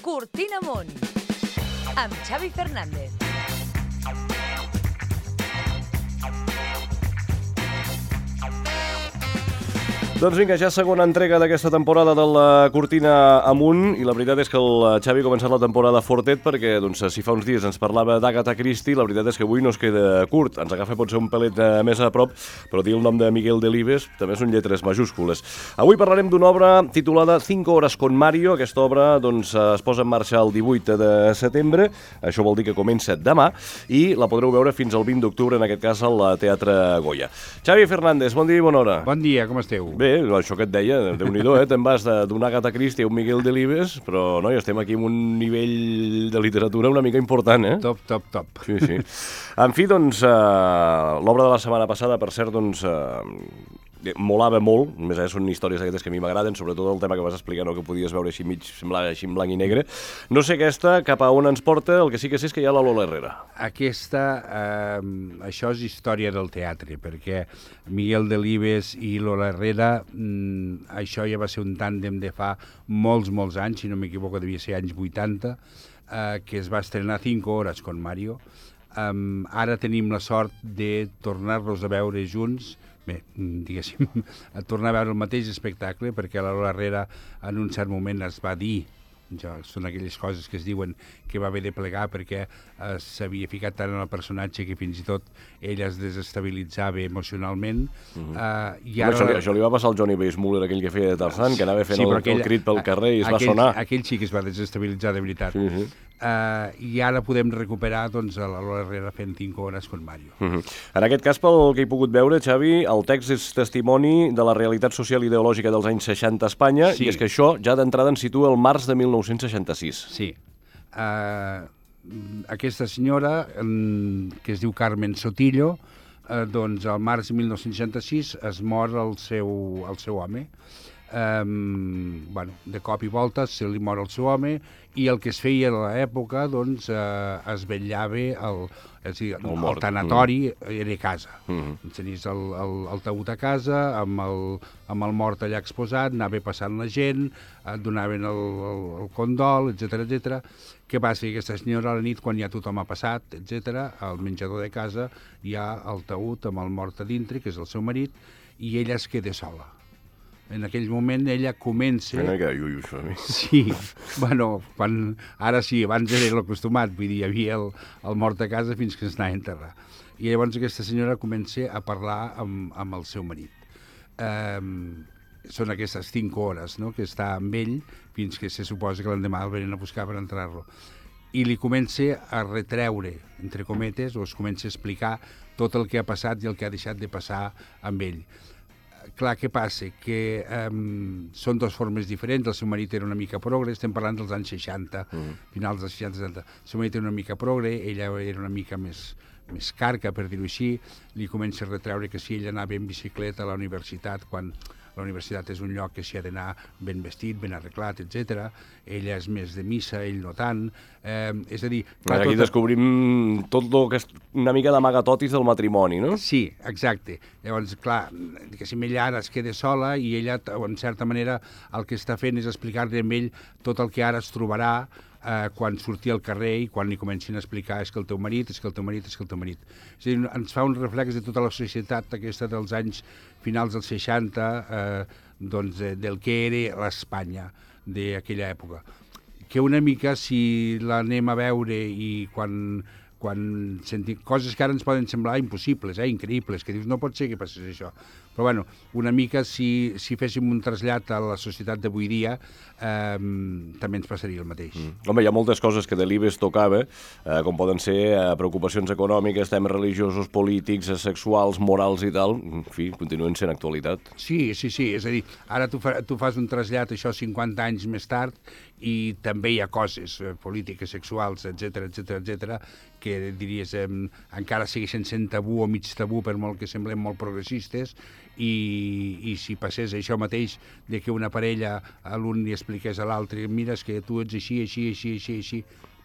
Cortina Amunt, amb Xavi Fernández. Doncs vinga, ja segona entrega d'aquesta temporada de la Cortina Amunt, i la veritat és que el Xavi ha començat la temporada fortet perquè si fa uns dies ens parlava d'Agatha Christie, la veritat és que avui no es queda curt, ens agafa potser un pelet més a prop, però dir el nom de Miguel Delibes també són lletres majúscules. Avui parlarem d'una obra titulada 5 horas con Mario. Aquesta obra es posa en marxa el 18 de setembre, això vol dir que comença demà, i la podreu veure fins al 20 d'octubre, en aquest cas al Teatre Goya. Xavi Fernández, bon dia i bona hora. Bon dia, com esteu? Bé, això que et deia, Déu-n'hi-do, te'n vas d'una Agatha Christie a un Miguel Delibes, però noi, estem aquí amb un nivell de literatura una mica important, eh? Top. Sí, sí. En fi, doncs, l'obra de la setmana passada, per cert, doncs, molava molt, més són històries aquestes que a mi m'agraden, sobretot el tema que vas explicar, no, que podies veure així mig, semblava així en blanc i negre. No sé aquesta, cap a on ens porta, el que sí que sé és que hi ha la Lola Herrera. Aquesta, això és història del teatre, perquè Miguel Delibes i Lola Herrera, això ja va ser un tàndem de fa molts anys, si no m'equivoco devia ser anys 80, que es va estrenar 5 horas con Mario. Ara tenim la sort de tornar-los a veure junts, bé, diguéssim, a tornar a veure el mateix espectacle, perquè la Lola Herrera en un cert moment es va dir, són aquelles coses que es diuen que va haver de plegar perquè s'havia ficat tant en el personatge que fins i tot ella es desestabilitzava emocionalment. I ara... Això li va passar al Johnny Weissmuller, aquell que feia de Tarzan, que anava fent el crit pel carrer i es va sonar. Aquell sí que es va desestabilitzar de veritat. I ara podem recuperar doncs, a la Lola Herrera fent 5 horas con Mario. En aquest cas, pel que he pogut veure, Xavi, el text és testimoni de la realitat social i ideològica dels anys 60 a Espanya, i és que això ja d'entrada ens situa el març de 1966. Sí. Aquesta senyora, que es diu Carmen Sotillo, doncs al març de 1966 es mor el seu home. De cop i volta se li mor el seu home, i el que es feia a l'època, doncs, es vetllava el tanatori era a casa. Tenies el taüt a casa, amb el mort allà exposat, anava passant la gent, et donaven el condol, etc. Què passa? Que aquesta senyora a la nit, quan ja tothom ha passat, etc., al menjador de casa hi ha el taüt amb el mort a dintre, que és el seu marit, i ella es queda sola. En aquell moment ella comença... Mira que iuiu, això a mi. Sí, bueno, ara sí, abans era l'acostumat, vull dir, hi havia el mort a casa fins que es anava a enterrar. I llavors aquesta senyora comença a parlar amb el seu marit. Són aquestes 5 hores, no?, que està amb ell fins que se suposa que l'endemà el venen a buscar per entrar-lo. I li comença a retreure, entre cometes, o es comença a explicar tot el que ha passat i el que ha deixat de passar amb ell. Clar, què passa? Que són dues formes diferents. El seu marit era una mica progre, estem parlant dels anys 60, finals dels 60-70. El seu marit era una mica progre, ella era una mica més carca, per dir-ho així. Li comença a retreure que si ella anava en bicicleta a la universitat, quan la universitat és un lloc que s'hi ha d'anar ben vestit, ben arreglat, etc. Ella és més de missa, ell no tant. És a dir... Aquí descobrim tot el que és una mica d'amagatotis del matrimoni, no? Sí, exacte. Llavors, clar, diguéssim, ella ara es queda sola i ella, en certa manera, el que està fent és explicar-li a ell tot el que ara es trobarà quan surti al carrer i quan li comencin a explicar és que el teu marit, és que el teu marit, és que el teu marit. És a dir, ens fa un reflex de tota la societat aquesta dels anys finals dels 60, doncs del que era l'Espanya d'aquella època. Que una mica, si l'anem a veure i quan sentim coses que ara ens poden semblar impossibles, increïbles, que dius, no pot ser que passés això. Però, bueno, una mica, si féssim un trasllat a la societat d'avui dia, també ens passaria el mateix. Home, hi ha moltes coses que Delibes tocava, com poden ser preocupacions econòmiques, temes religiosos, polítics, sexuals, morals i tal. En fi, continuen sent actualitat. Sí. És a dir, ara tu fas un trasllat, això, 50 anys més tard, i també hi ha coses polítiques, sexuals, etc., que diries encara segueixen sent tabú o mig tabú, per molt que semblem molt progressistes, i si passés això mateix de que una parella a l'un li expliqués a l'altre, mira, és que tu ets així,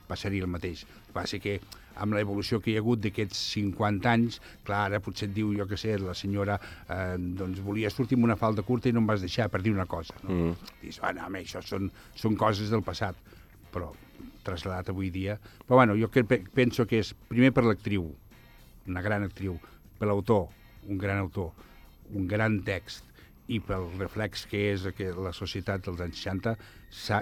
passaria el mateix. Passa que amb l'evolució que hi ha hagut d'aquests 50 anys, clar, ara potser et diu, jo què sé, la senyora doncs volia sortir amb una falda curta i no em vas deixar, per dir una cosa. No? Dius, home, això són coses del passat. però traslladat avui dia. Però bueno, jo penso que és primer per l'actriu, una gran actriu, per l'autor, un gran autor, un gran text, i pel reflex que és que la societat dels anys 60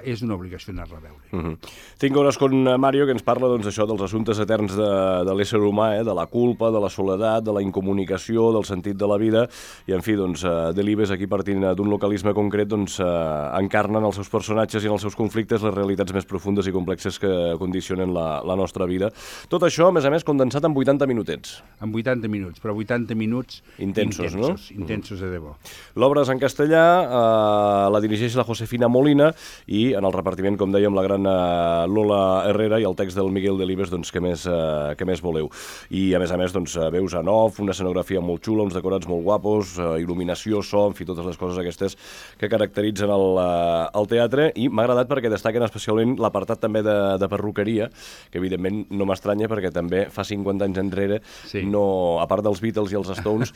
és una obligació anar-la a veure. Tinc hores con Mario, que ens parla això dels assumptes eterns de l'ésser humà, de la culpa, de la soledat, de la incomunicació, del sentit de la vida, i en fi, Delibes, aquí partint d'un localisme concret, encarnen els seus personatges i en els seus conflictes les realitats més profundes i complexes que condicionen la nostra vida. Tot això, a més, condensat en 80 minutets. En 80 minuts, però 80 minuts intensos, no? Intensos de debò. L'obra és en castellà, la dirigeix la Josefina Molina, i en el repartiment, com dèiem, la gran Lola Herrera, i el text del Miguel Delibes, què més voleu. I a més, veus en off, una escenografia molt xula, uns decorats molt guapos, il·luminació, so, en fi, totes les coses aquestes que caracteritzen el teatre, i m'ha agradat perquè destaquen especialment l'apartat també de perruqueria, que evidentment no m'estranya perquè també fa 50 anys enrere, a part dels Beatles i els Stones,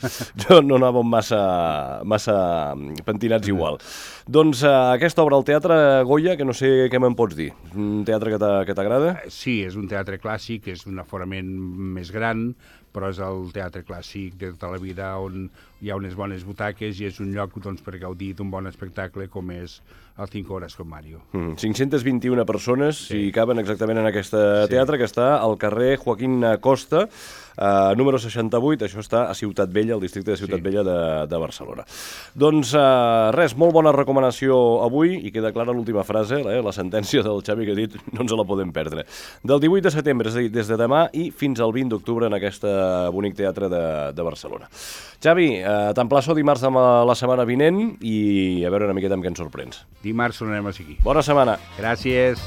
no anàvem massa pentinats igual. Doncs aquesta obra al Teatre Goya, que no sé què me'n pots dir. Un teatre que t'agrada? Sí, és un teatre clàssic, és un aforament més gran, però és el teatre clàssic de tota la vida on hi ha unes bones butaques i és un lloc per gaudir d'un bon espectacle com és el 5 hores con Mario. 521 persones hi caben exactament en aquest teatre, que està al carrer Joaquín Costa, número 68, això està a Ciutat Vella, al districte de Ciutat Vella de Barcelona. Doncs res, molt bona recomanació avui, i queda clara l'última frase, la sentència del Xavi que ha dit, no ens la podem perdre. Del 18 de setembre, és a dir, des de demà i fins al 20 d'octubre en aquest bonic teatre de Barcelona. Xavi, t'emplaço dimarts de la setmana vinent i a veure una miqueta amb què ens sorprens. Dimarts tornarem a seguir. Bona setmana. Gràcies.